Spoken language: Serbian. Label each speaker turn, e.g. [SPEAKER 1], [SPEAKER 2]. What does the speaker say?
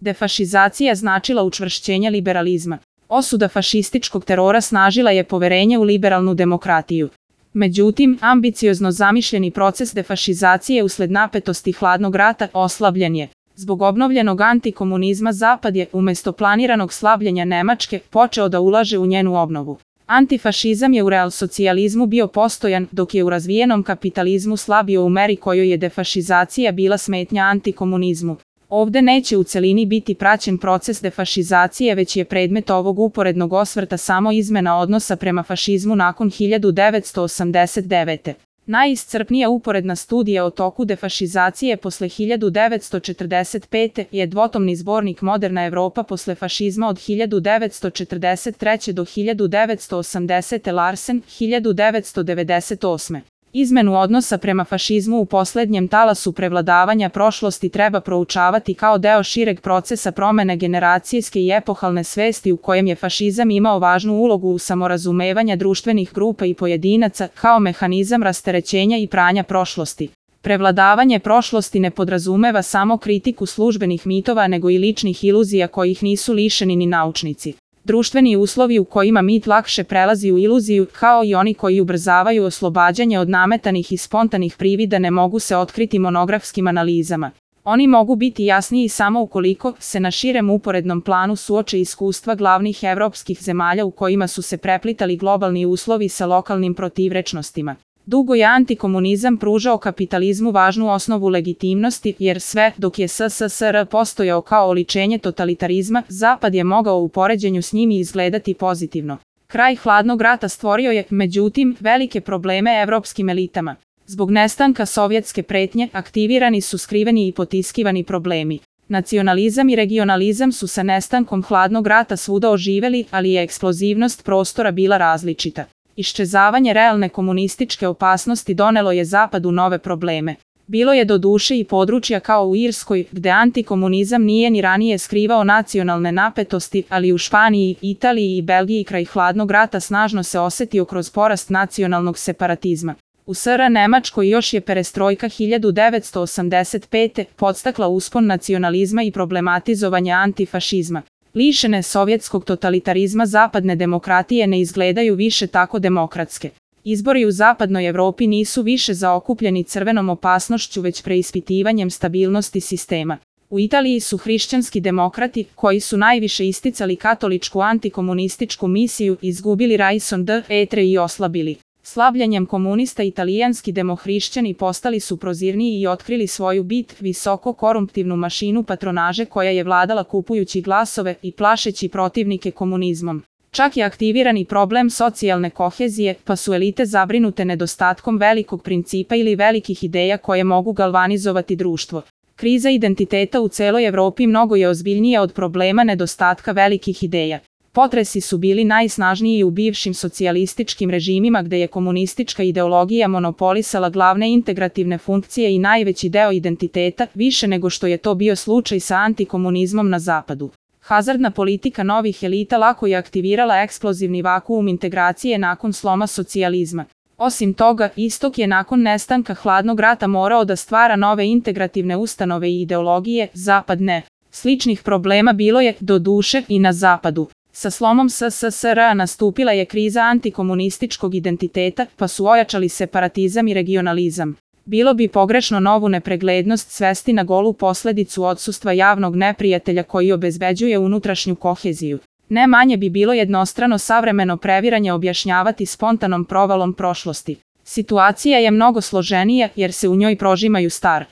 [SPEAKER 1] Defašizacija značila učvršćenje liberalizma. Osuda fašističkog terora snažila je poverenje u liberalnu demokratiju. Međutim, ambiciozno zamišljeni proces defašizacije usled napetosti hladnog rata oslabljen je. Zbog obnovljenog antikomunizma Zapad je, umjesto planiranog slabljenja Nemačke, počeo da ulaže u njenu obnovu. Antifašizam je u realsocijalizmu bio postojan, dok je u razvijenom kapitalizmu slabio u meri kojoj je defašizacija bila smetnja antikomunizmu. Ovde neće u celini biti praćen proces defašizacije, već je predmet ovog uporednog osvrta samo izmena odnosa prema fašizmu nakon 1989. Najiscrpnija uporedna studija o toku defašizacije posle 1945. je dvotomni zbornik Moderna Evropa posle fašizma od 1943. do 1980. Larsen, 1998. Izmenu odnosa prema fašizmu u poslednjem talasu prevladavanja prošlosti treba proučavati kao deo šireg procesa promene generacijske i epohalne svesti u kojem je fašizam imao važnu ulogu u samorazumevanja društvenih grupa i pojedinaca kao mehanizam rasterećenja i pranja prošlosti. Prevladavanje prošlosti ne podrazumeva samo kritiku službenih mitova nego i ličnih iluzija kojih nisu lišeni ni naučnici. Društveni uslovi u kojima mit lakše prelazi u iluziju, kao i oni koji ubrzavaju oslobađanje od nametanih i spontanih privida, ne mogu se otkriti monografskim analizama. Oni mogu biti jasniji samo ukoliko se na širem uporednom planu suoče iskustva glavnih evropskih zemalja u kojima su se preplitali globalni uslovi sa lokalnim protivrečnostima. Dugo je antikomunizam pružao kapitalizmu važnu osnovu legitimnosti, jer sve dok je SSSR postojao kao oličenje totalitarizma, Zapad je mogao u poređenju s njim izgledati pozitivno. Kraj hladnog rata stvorio je, međutim, velike probleme evropskim elitama. Zbog nestanka sovjetske pretnje, aktivirani su skriveni i potiskivani problemi. Nacionalizam i regionalizam su sa nestankom hladnog rata svuda oživeli, ali je eksplozivnost prostora bila različita. Iščezavanje realne komunističke opasnosti donelo je Zapadu nove probleme. Bilo je doduše i područja kao u Irskoj, gde antikomunizam nije ni ranije skrivao nacionalne napetosti, ali u Španiji, Italiji i Belgiji kraj hladnog rata snažno se osetio kroz porast nacionalnog separatizma. U SR Nemačkoj još je perestrojka 1985. podstakla uspon nacionalizma i problematizovanje antifašizma. Lišene sovjetskog totalitarizma zapadne demokratije ne izgledaju više tako demokratske. Izbori u zapadnoj Evropi nisu više zaokupljeni crvenom opasnošću, već preispitivanjem stabilnosti sistema. U Italiji su hrišćanski demokrati, koji su najviše isticali katoličku antikomunističku misiju, izgubili raison d'etre i oslabili. Slabljenjem komunista italijanski demohrišćani postali su prozirniji i otkrili svoju bit, visoko korumptivnu mašinu patronaže koja je vladala kupujući glasove i plašeći protivnike komunizmom. Čak je aktiviran i problem socijalne kohezije, pa su elite zabrinute nedostatkom velikog principa ili velikih ideja koje mogu galvanizovati društvo. Kriza identiteta u celoj Evropi mnogo je ozbiljnija od problema nedostatka velikih ideja. Potresi su bili najsnažniji u bivšim socijalističkim režimima gde je komunistička ideologija monopolisala glavne integrativne funkcije i najveći deo identiteta, više nego što je to bio slučaj sa antikomunizmom na zapadu. Hazardna politika novih elita lako je aktivirala eksplozivni vakuum integracije nakon sloma socijalizma. Osim toga, istok je nakon nestanka hladnog rata morao da stvara nove integrativne ustanove i ideologije, zapad ne. Sličnih problema bilo je, doduše, i na zapadu. Sa slomom SSSR nastupila je kriza antikomunističkog identiteta, pa su ojačali separatizam i regionalizam. Bilo bi pogrešno novu nepreglednost svesti na golu posledicu odsustva javnog neprijatelja koji obezbeđuje unutrašnju koheziju. Ne manje bi bilo jednostrano savremeno previranje objašnjavati spontanom provalom prošlosti. Situacija je mnogo složenija jer se u njoj prožimaju star,